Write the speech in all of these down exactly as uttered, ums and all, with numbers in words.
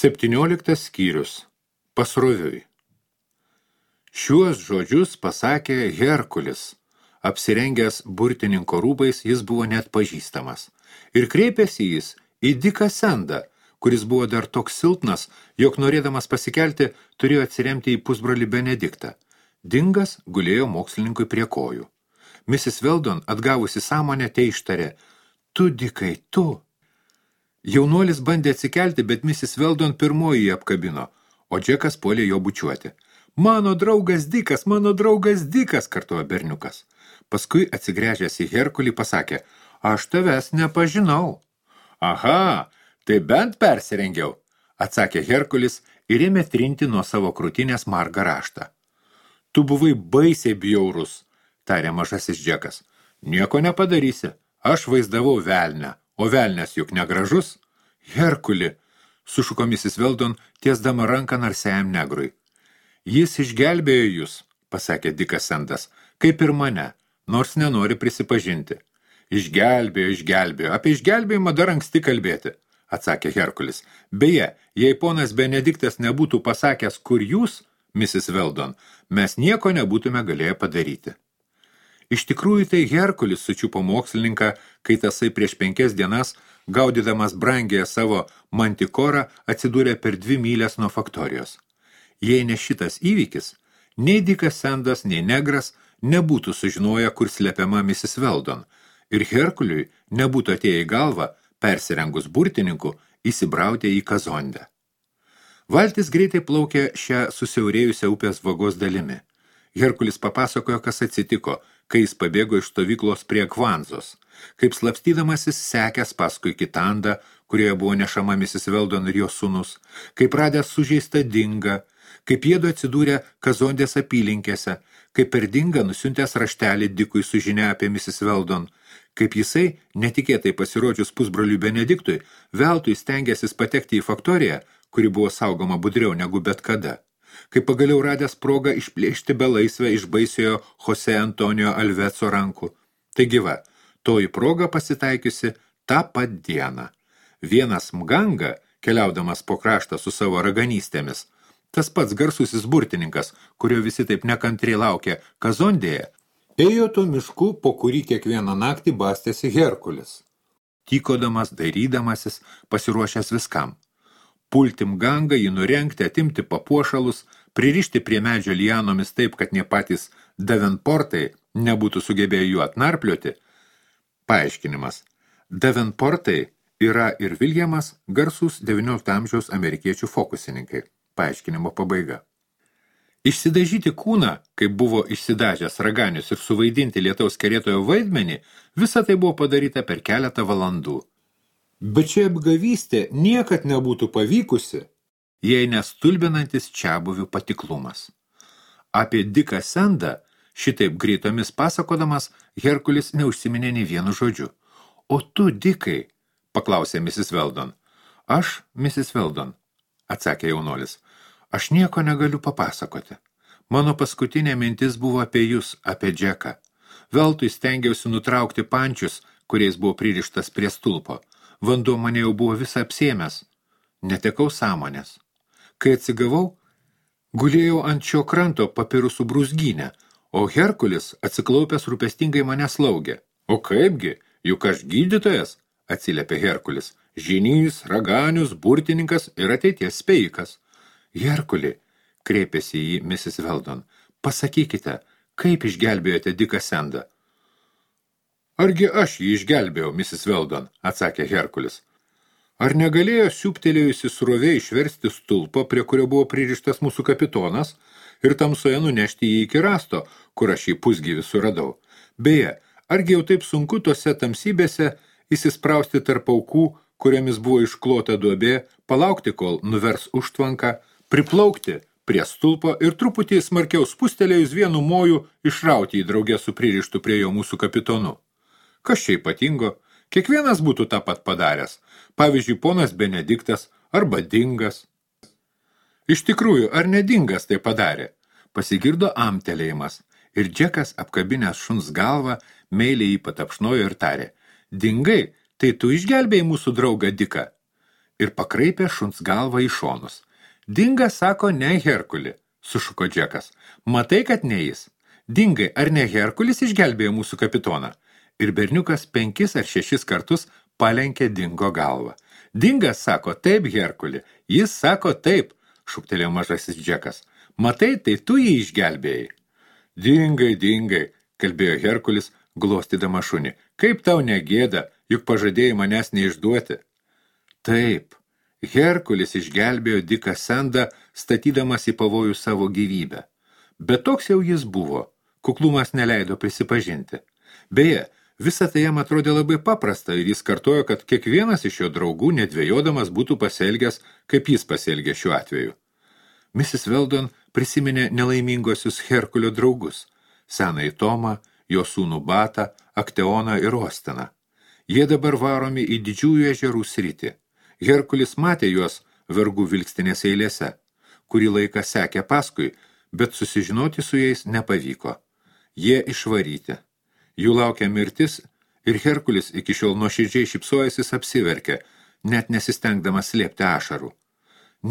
Septynioliktas skyrius. Pasroviui. Šiuos žodžius pasakė Herkulis. Apsirengęs burtininko rūbais jis buvo net pažįstamas. Ir kreipėsi jis į Diką Sendą, kuris buvo dar toks silpnas, jog norėdamas pasikelti, turėjo atsiremti į pusbrolį Benediktą. Dingas gulėjo mokslininkui prie kojų. misis Weldon, atgavusi sąmonę, teištarė: Tu, Dikai, tu. Jaunuolis bandė atsikelti, bet misis Weldon pirmoji jį apkabino, o Džekas puolė jo bučiuoti. Mano draugas Dikas, mano draugas Dikas, kartojo berniukas. Paskui atsigręžęs į Herkulį pasakė: Aš tavęs nepažinau. Aha, tai bent persirengiau, atsakė Herkulis ir ėmė trinti nuo savo krūtinės margą raštą. Tu buvai baisiai bjaurus, tarė mažasis Džekas. Nieko nepadarysi, aš vaizdavau velnę, o velnės juk negražus. Herkuli, sušuko misis Weldon, tiesdama ranką narsiajam negrui. Jis išgelbėjo jūs, pasakė Dikas Sendas, kaip ir mane, nors nenori prisipažinti. Išgelbėjo, išgelbėjo, apie išgelbėjimą dar anksti kalbėti, atsakė Herkulis. Beje, jei ponas Benediktas nebūtų pasakęs, kur jūs, misis Weldon, mes nieko nebūtume galėję padaryti. Iš tikrųjų tai Herkulis sučiupo mokslininką, kai tasai prieš penkias dienas, gaudydamas brangiąją savo mantikorą, atsidūrė per dvi mylės nuo faktorijos. Jei ne šitas įvykis, nei Dikas Sendas, nei negras nebūtų sužinoję, kur slepiama misis Weldon, ir Herkuliui nebūtų atėję į galvą, persirengus burtininku, įsibrautė į Kazondę. Valtis greitai plaukė šią susiaurėjusią upės vagos dalimi. Herkulis papasakojo, kas atsitiko, kai jis pabėgo iš stovyklos prie Kvanzos, kaip slapstydamasis sekęs paskui Kitandą, kurioje buvo nešama misis Weldon ir jos sūnus, kaip radęs sužeistą Dingą, kaip jiedu atsidūrė Kazondės apylinkėse, kaip per Dingą nusiuntęs raštelį Dikui su žinia apie misis Weldon, kaip jisai, netikėtai pasirodžius pusbroliui Benediktui, veltui stengėsis patekti į faktoriją, kuri buvo saugoma budriau negu bet kada, kaip pagaliau radęs progą išplėšti belaisvę iš baisiojo Jose Antonijo Alveco rankų. Taigi va, toji proga pasitaikiusi tą pat dieną. Vienas Mganga, keliaudamas po kraštą su savo raganystėmis, tas pats garsusis burtininkas, kurio visi taip nekantriai laukė Kazondėje, ėjo to mišku, po kurį kiekvieną naktį bastėsi Herkulis, tykodamas, dairydamasis, pasiruošęs viskam. Pulti Mgangą, jį nurengti, atimti papuošalus, pririšti prie medžio lianomis taip, kad ne patys Davenportai nebūtų sugebėję jų atnarplioti. Paaiškinimas. Davenportai yra ir Viljamas, garsūs devyniolikto amžiaus amerikiečių fokusininkai. Paaiškinimo pabaiga. Išsidažyti kūną, kaip buvo išsidažęs raganius ir suvaidinti lietaus kerėtojo vaidmenį, visa tai buvo padaryta per keletą valandų. Bet čia apgavystė niekad nebūtų pavykusi, jei nestulbinantis čiabuvių patiklumas. Apie Diką Sendą, šitaip greitomis pasakodamas, Herkulis neužsiminė nei vienu žodžiu. O tu, Dikai, paklausė misis Weldon. Aš, misis Weldon, atsakė jaunuolis, aš nieko negaliu papasakoti. Mano paskutinė mintis buvo apie jūs, apie Džeką. Veltui stengiausi nutraukti pančius, kuriais buvo pririštas prie stulpo. Vanduo mane jau buvo visą apsėmęs. Netekau sąmonės. Kai atsigavau, gulėjau ant šio kranto papirusų brūzgynę, o Herkulis atsiklaupęs rūpestingai mane slaugė. O kaipgi, juk aš gydytojas, atsiliepė Herkulis. Žinys, raganius, burtininkas ir ateities spėjikas. Herkuli, kreipėsi į misis Weldon, pasakykite, kaip išgelbėjote Diką Sendą? Argi aš jį išgelbėjau, misis Weldon, atsakė Herkulis. Ar negalėjo siūptelėjusi srovė išversti stulpo, prie kurio buvo pririštas mūsų kapitonas, ir tamsoje nunešti jį iki rasto, kur aš jį pusgyvį suradau? Beje, argi jau taip sunku tose tamsybėse įsisprausti tarp aukų, kuriomis buvo išklota duobė, palaukti, kol nuvers užtvanką, priplaukti prie stulpo ir truputį smarkiau spustelėjus vienu moju išrauti į draugę su pririštu prie jo mūsų kapitonu? Kas čia ypatingo? Kiekvienas būtų tą pat padaręs. Pavyzdžiui, ponas Benediktas arba Dingas. Iš tikrųjų, ar ne Dingas tai padarė? Pasigirdo amtelėjimas ir Džekas, apkabinęs šuns galvą, meiliai jį patapšnojo ir tarė. Dingai, tai tu išgelbėjai mūsų draugą Diką? ir pakraipė šuns galvą į šonus. Dinga sako, ne Herkulį, sušuko Džekas. Matai, kad ne jis. Dingai, ar ne Herkulis išgelbėjo mūsų kapitoną? Ir berniukas penkis ar šešis kartus palenkė Dingo galvą. Dingas sako, taip, Herkulį. Jis sako, taip, šūktelėjo mažasis Džekas. Matai, tai tu jį išgelbėjai. Dingai, dingai, kalbėjo Herkulis, glostydama šunį. Kaip tau negėda, juk pažadėjai manęs neišduoti. Taip, Herkulis išgelbėjo Diką Sandą, statydamas į pavojų savo gyvybę. Bet toks jau jis buvo, kuklumas neleido prisipažinti. Beje, visa tai jam atrodė labai paprasta ir jis kartojo, kad kiekvienas iš jo draugų nedvejodamas būtų pasielgęs, kaip jis pasielgė šiuo atveju. misis Weldon prisiminė nelaimingosius Herkulio draugus, senąjį Tomą, jo sūnų Batą, Akteoną ir Osteną. Jie dabar varomi į didžiųjų ežerų sritį. Herkulis matė juos vergų vilkstinės eilėse, kurį laiką sekė paskui, bet susižinoti su jais nepavyko. Jie išvaryti. Jų laukia mirtis ir Herkulis iki šiol nuoširdžiai šypsojasis apsiverkė, net nesistengdamas slėpti ašarų.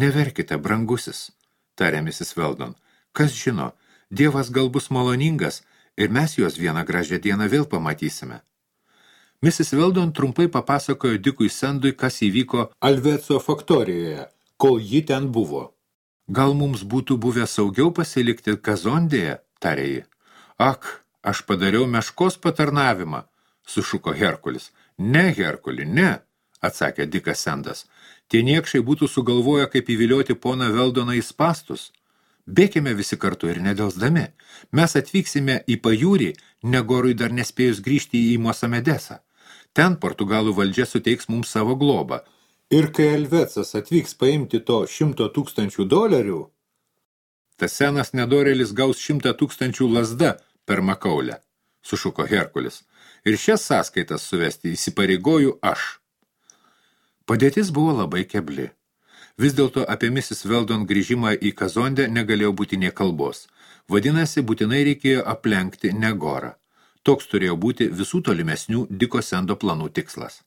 Neverkite, brangusis, tarė misis Weldon. Kas žino, Dievas gal bus maloningas ir mes juos vieną gražią dieną vėl pamatysime. misis Weldon trumpai papasakojo Dikui Sandui, kas įvyko Alveco faktorijoje, kol ji ten buvo. Gal mums būtų buvę saugiau pasilikti Kazondėje, tarė ji. Ak, aš padariau meškos patarnavimą, sušuko Herkulis. Ne, Herkuli, ne, atsakė Dikas Sandas. Tie niekšai būtų sugalvoję, kaip įvilioti poną Veldoną į spastus. Bėkime visi kartu ir nedelsdami. Mes atvyksime į pajūrį, Negorui dar nespėjus grįžti į Mosamedesą. Ten Portugalų valdžia suteiks mums savo globą. Ir kai Alvecas atvyks paimti to šimto tūkstančių dolerių, tas senas nedorėlis gaus šimtą tūkstančių lazda per makaulę, sušuko Herkulis. Ir šias sąskaitas suvesti įsipareigoju aš. Padėtis buvo labai kebli. Vis dėlto apie misis Weldon grįžimą į Kazondę negalėjo būti nė kalbos. Vadinasi, būtinai reikėjo aplenkti Negorą. Toks turėjo būti visų tolimesnių Diko Sando planų tikslas.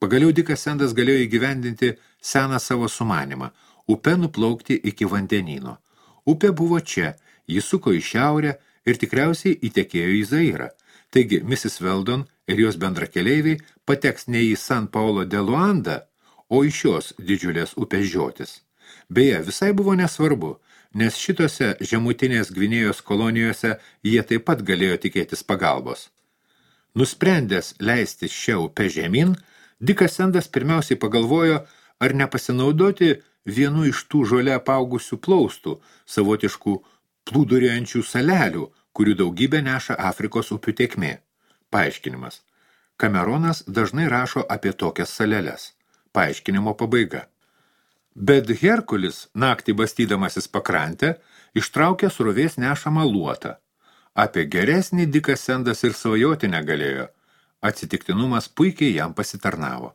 Pagaliau Dikas Sandas galėjo įgyvendinti seną savo sumanimą – upe nuplaukti iki vandenyno. Upė buvo čia, jis suko į šiaurę ir tikriausiai įtekėjo į Zairą. Taigi, misis Weldon ir jos bendrakeleiviai pateks ne į San Paulo de Luanda, o į šios didžiulės upės žiotis. Beje, visai buvo nesvarbu, nes šitose žemutinės Gvinėjos kolonijose jie taip pat galėjo tikėtis pagalbos. Nusprendęs leistis šią upę žemyn, Dikas Sandas pirmiausiai pagalvojo, ar nepasinaudoti vienu iš tų žole apaugusių plaustų, savotiškų plūduriuojančių salelių, kurių daugybę neša Afrikos upių tėkmė. Paaiškinimas. Kameronas dažnai rašo apie tokias saleles. Paaiškinimo pabaiga. Bet Herkulis, naktį bastydamasis pakrantę, ištraukė srovės nešamą luotą. Apie geresnį Dikas Sandas ir svajoti negalėjo. Atsitiktinumas puikiai jam pasitarnavo.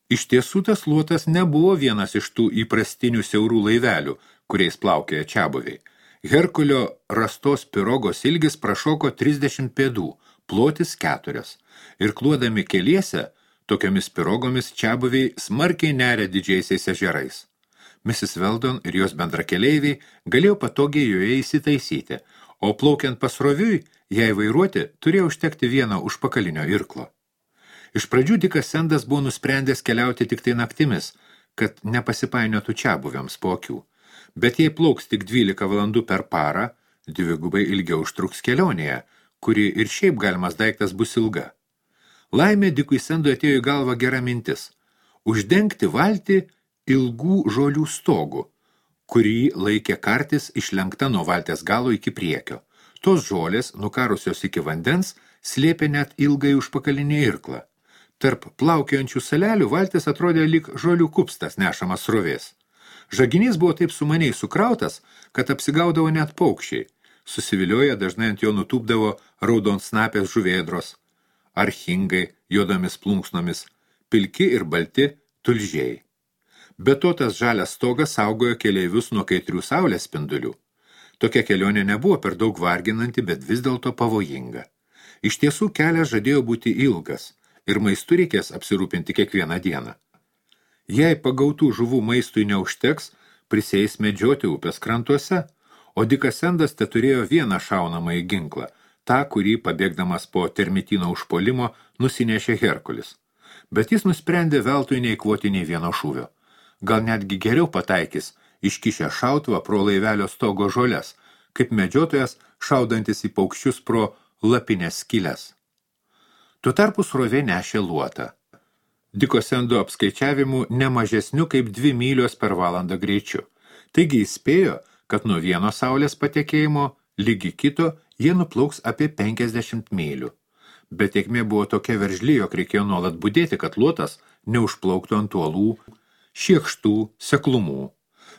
Iš tiesų tas luotas nebuvo vienas iš tų įprastinių siaurų laivelių, kuriais plaukėja čiabuviai. Herkulio rastos pirogos ilgis prašoko trisdešimt pėdų, plotis keturios. Ir kluodami keliese, tokiomis pirogomis čiabuviai smarkiai neria didžiaisiais ežerais. misis Weldon ir jos bendrakeleiviai galėjo patogiai joje įsitaisyti, o plaukiant pasroviui, jei vairuoti, turėjo užtekti vieno užpakalinio irklo. Iš pradžių Dikas Sandas buvo nusprendęs keliauti tik tai naktimis, kad nepasipainiotų čiabuviams po akių. Bet jei plauks tik dvylika valandų per parą, dvigubai ilgiau užtruks kelionėje, kuri ir šiaip galimas daiktas bus ilga. Laimė Dikui Sandui atėjo į galvą gera mintis – uždengti valtį ilgų žolių stogų, kurį laikė kartis išlenkta nuo valties galo iki priekio. Tos žolės, nukarusios iki vandens, slėpė net ilgai užpakalinį irklą. Tarp plaukiojančių salelių valtis atrodė lyg žolių kupstas nešamas srovės. Žaginys buvo taip sumaniai sukrautas, kad apsigaudavo net paukščiai. Susivilioję dažnai ant jo nutūpdavo raudonsnapės žuvėdros, archingai juodomis plunksnomis, pilki ir balti tulžiai. Be to tas žalias stogas saugojo keleivius nuo kaitrių saulės spindulių. Tokia kelionė nebuvo per daug varginanti, bet vis dėlto pavojinga. Iš tiesų kelias žadėjo būti ilgas ir maistu reikės apsirūpinti kiekvieną dieną. Jei pagautų žuvų maistui neužteks, prisėis medžioti upės krantuose, o Dikas Sendas teturėjo vieną šaunamąjį ginklą, tą, kurį, pabėgdamas po termitino užpuolimo, nusinešė Herkulis. Bet jis nusprendė veltui neįkvoti nei vieno šūvio. Gal netgi geriau pataikys, iškišę šautuvą pro laivelio stogo žoles, kaip medžiotojas šaudantis į paukščius pro lapinės skylės. Tuo tarpu srovė nešė luotą. Diko Sendo apskaičiavimų nemažesnių kaip dvi mylios per valandą greičiu. Taigi įspėjo, kad nuo vieno saulės patekėjimo lygi kito jie nuplauks apie penkiasdešimt mylių. Bet tėkmė buvo tokia veržli, jog reikėjo nuolat budėti, kad luotas neužplauktų ant uolų, šiekštų, seklumų.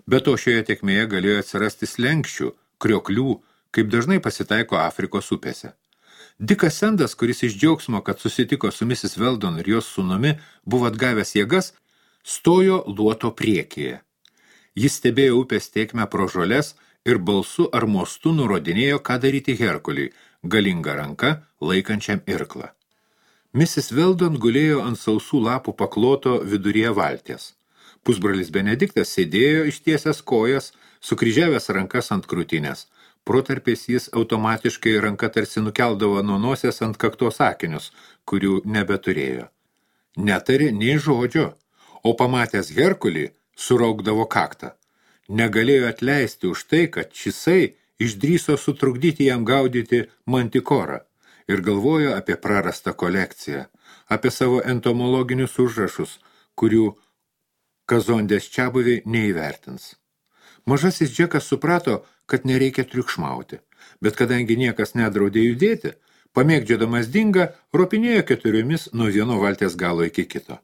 Be to šioje tėkmėje galėjo atsirasti slenkščių, krioklių, kaip dažnai pasitaiko Afrikos upėse. Dikas Sendas, kuris iš džiaugsmo, kad susitiko su misis Weldon ir jos sūnumi, buvo atgavęs jėgas, stojo luoto priekyje. Jis stebėjo upės tėkmę pro žoles ir balsu ar mostu nurodinėjo, ką daryti Herkuliui, galinga ranka laikančiam irklą. misis Weldon gulėjo ant sausų lapų pakloto viduryje valties. Pusbrolis Benediktas sėdėjo ištiesęs kojas, sukryžiavęs rankas ant krūtinės. Protarpiais jis automatiškai ranka tarsi nukeldavo nuo nosės ant kaktos akinius, kurių nebeturėjo. Netarė nei žodžio, o pamatęs Herkulį suraukdavo kaktą. Negalėjo atleisti už tai, kad šisai išdryso sutrukdyti jam gaudyti mantikorą ir galvojo apie prarastą kolekciją, apie savo entomologinius užrašus, kurių Kazondės čiabuviai neįvertins. Mažasis Džekas suprato, kad nereikia triukšmauti, bet kadangi niekas nedraudė judėti, pamėgdžiodamas dingą, ropinėjo keturiomis nuo vieno valties galo iki kito.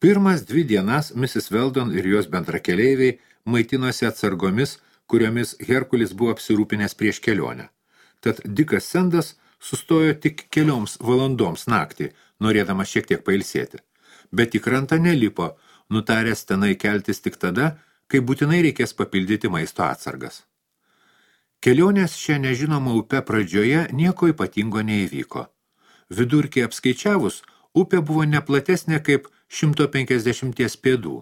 Pirmas dvi dienas misis Weldon ir jos bendrakeleiviai maitinosi atsargomis, kuriomis Herkulis buvo apsirūpinęs prieš kelionę. Tad Dikas Sendas sustojo tik kelioms valandoms naktį, norėdamas šiek tiek pailsėti. Bet į krantą nelipo, nutaręs tenai keltis tik tada, kai būtinai reikės papildyti maisto atsargas. Kelionės šią nežinomą upę pradžioje nieko ypatingo neįvyko. Vidurkį apskaičiavus, upė buvo neplatesnė kaip šimto penkiasdešimties pėdų.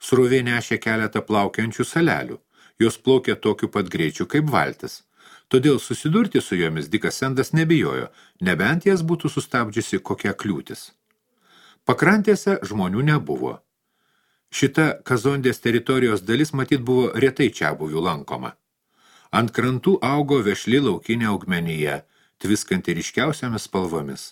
Srovė nešė keletą plaukiančių salelių. Jos plaukė tokiu pat greičiu kaip valtis. Todėl susidurti su jomis Dikas Sendas nebijojo, nebent jas būtų sustabdžiusi kokia kliūtis. Pakrantėse žmonių nebuvo. Šita Kazondės teritorijos dalis matyt buvo retai čiabuvių lankoma. Ant krantų augo vešli laukinė augmenija, tviskanti ryškiausiamis spalvomis.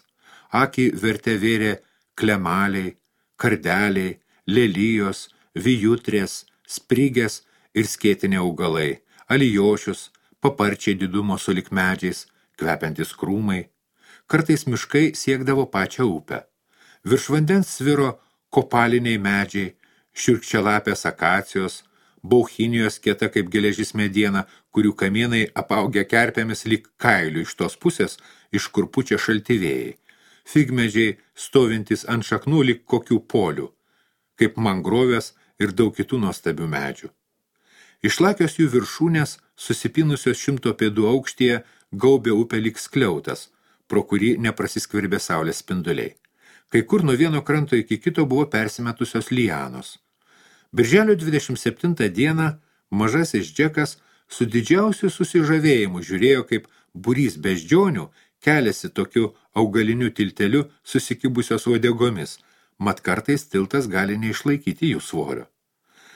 Akį vertė vėrė klemaliai, kardeliai, lelijos, vijutrės, sprigės ir skėtinė augalai, alijošius, paparčiai didumo sulik medžiais, kvepiantis krūmai. Kartais miškai siekdavo pačią upę. Virš vandens sviro kopaliniai medžiai, šiurkščialapės akacijos, bauchinijos kieta kaip geležis mediena, kurių kamienai apaugę kerpėmis lyg kailių iš tos pusės, iš kur pučia šaltivėjai. Figmedžiai stovintis ant šaknų lyg kokių polių, kaip mangrovės ir daug kitų nuostabių medžių. Išlakios jų viršūnės, susipinusios šimto pėdų aukštyje, gaubė upę lyg skliautas, pro kurį neprasiskverbė saulės spinduliai. Kai kur nuo vieno kranto iki kito buvo persimetusios lianos. Birželio dvidešimt septintą dieną mažasis Džekas su didžiausiu susižavėjimu žiūrėjo, kaip būrys beždžionių keliasi tokiu augaliniu tilteliu susikibusios uodegomis, mat kartais tiltas gali neišlaikyti jų svorio.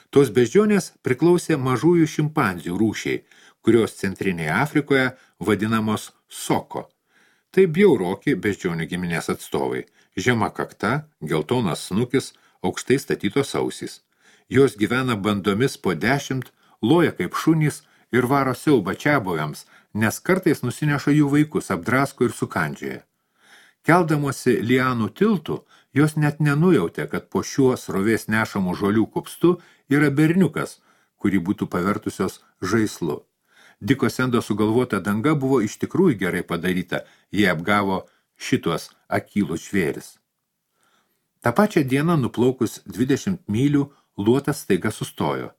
Tos beždžionės priklausė mažųjų šimpanzių rūšiai, kurios centrinėje Afrikoje vadinamos soko. Tai bjauroki beždžionių giminės atstovai, žema kakta, geltonas snukis, aukštai statytos ausys. Jos gyvena bandomis po dešimt, loja kaip šunys ir varo siaubą čiabuviams, nes kartais nusineša jų vaikus, apdrasko ir sukandžioja. Keldamosi lianų tiltų, jos net nenujautė, kad po šiuo srovės nešamų žolių kupstu yra berniukas, kurį būtų pavertusios žaislu. Diko Sendo sugalvota danga buvo iš tikrųjų gerai padaryta, jie apgavo šituos akylus žvėris. Ta pačią dieną nuplaukus dvidešimt mylių, luotas staiga sustojo.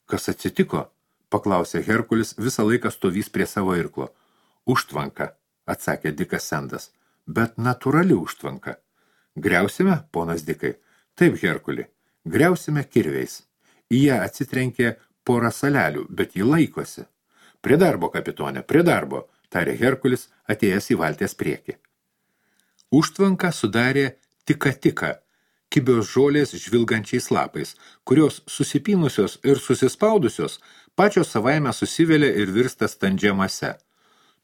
Kas atsitiko? Paklausė Herkulis, visą laiką stovys prie savo irklo. Užtvanka, atsakė Dikas Sendas, bet natūrali užtvanka. Griausime, ponas Dikai? Taip, Herkuli, Griausime kirviais. Į ją atsitrenkė porą salelių, bet ji laikosi. Prie darbo, kapitonė, prie darbo, tarė Herkulis, atėjęs į valties priekį. Užtvanką sudarė tika-tika, kibios žolės žvilgančiais lapais, kurios susipynusios ir susispaudusios pačios savaime susivelia ir virsta standžia mase.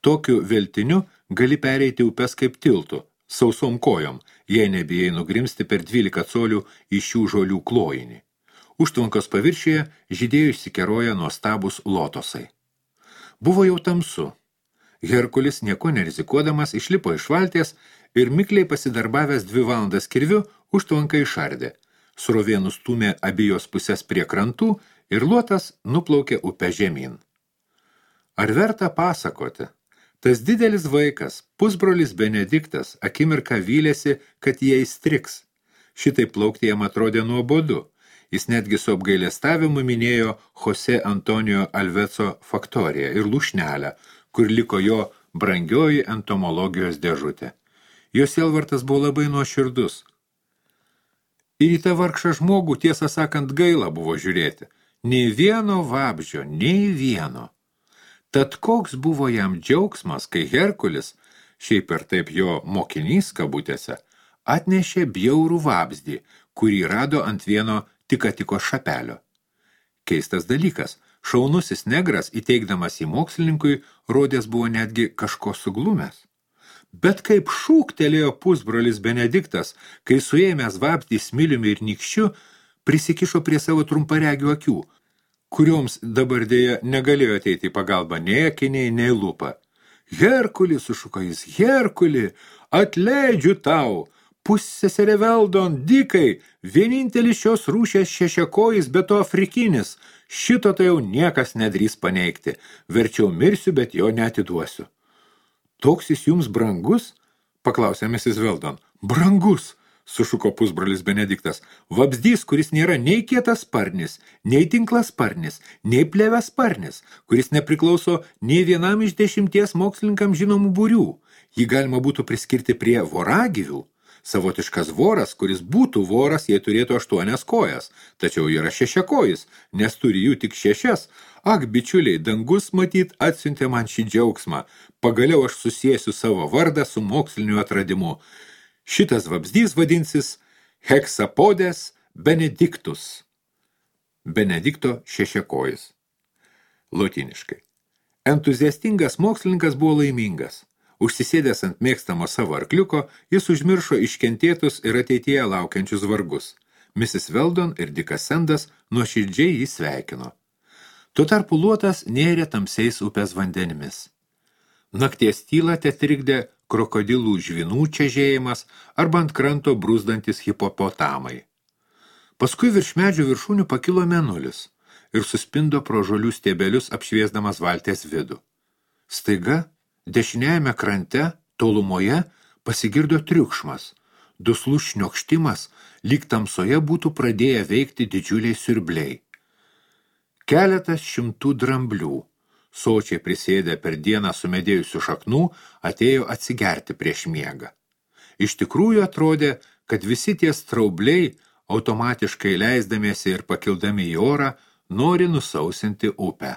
Tokiu veltiniu gali pereiti upes kaip tiltu, sausom kojom, jei nebijai nugrimsti per dvylika colių į šių žolių klojinį. Užtvankos paviršiuje žydėjo išsikeroja nuostabus lotosai. Buvo jau tamsu. Herkulis nieko nerizikuodamas išlipo iš valties ir mikliai pasidarbavęs dvi valandas kirviu užtvanką išardė. Srovė nustūmė abijos pusės prie krantų ir luotas nuplaukė upę žemyn. Ar verta pasakoti? Tas didelis vaikas, pusbrolis Benediktas, akimirką vylėsi, kad jie įstriks. Šitai plaukti jam atrodė nuobodu. Jis netgi su apgailestavimu minėjo Jose Antonijo Alveco faktoriją ir lūšnelę, kur liko jo brangioji entomologijos dėžutė. Jo sielvartas buvo labai nuoširdus. Ir į tą vargšą žmogų, tiesą sakant, gaila buvo žiūrėti. Nei vieno vabzdžio, nei vieno. Tad koks buvo jam džiaugsmas, kai Herkulis, šiaip ir taip jo mokinys kabutėse, atnešė bjaurų vabzdį, kurį rado ant vieno tika-tiko šapelio. Keistas dalykas, šaunusis negras, įteikdamas į mokslininkui, rodės buvo netgi kažko suglumęs. Bet kaip šūktelėjo pusbrolis Benediktas, kai suėmęs vabzdį smiliumi ir nykščiu, prisikišo prie savo trumparegių akių, kurioms dabar dėja negalėjo ateiti į pagalbą nei akiniai, nei lūpa. Herkuli, sušuko jis, Herkuli, atleidžiu tau, pusseserė Veldon, dikai, vienintelis šios rūšės šešiakojis, bet to afrikinis, šito tai jau niekas nedrįs paneigti, verčiau mirsiu, bet jo neatiduosiu. Toks jis jums brangus? Paklausė misis Veldon. Brangus, sušuko pusbrolis Benediktas. Vabzdys, kuris nėra nei kietas sparnis, nei tinklas sparnis, nei plėves sparnis, kuris nepriklauso nei vienam iš dešimties mokslininkam žinomų būrių. Jį galima būtų priskirti prie voragyvių. Savotiškas voras, kuris būtų voras, jei turėtų aštuonias kojas, tačiau yra šešiakojis, nes turi jų tik šešias. Ak, bičiuliai, dangus matyt atsiuntė man šį džiaugsmą. Pagaliau aš susiesiu savo vardą su moksliniu atradimu. Šitas vabzdys vadinsis Hexapodes Benedictus. Benedikto šešiakojis. Lotyniškai. Entuziastingas mokslininkas buvo laimingas. Užsisėdęs ant mėgstamo savo arkliuko, jis užmiršo iškentėtus ir ateityje laukiančius vargus. misis Veldon ir Dikas Sendas nuoširdžiai jį sveikino. Tuo tarpu luotas nėrė tamsiais upės vandenimis. Nakties tylą tetrikdė krokodilų žvinų čežėjimas arba ant kranto brūzdantis hipopotamai. Paskui virš medžių viršūnių pakilo mėnulis ir suspindo pro žolių stiebelius apšviesdamas valties vidų. Staiga, dešiniajame krante, tolumoje, pasigirdo triukšmas, duslus šniokštimas, lyg tamsoje būtų pradėję veikti didžiuliai siurbliai. Keletas šimtų dramblių, sočiai prisėdę per dieną sumedėjusių šaknų, atėjo atsigerti prieš miegą. Iš tikrųjų atrodė, kad visi tie straubliai, automatiškai leisdamiesi ir pakildami į orą, nori nusausinti upę.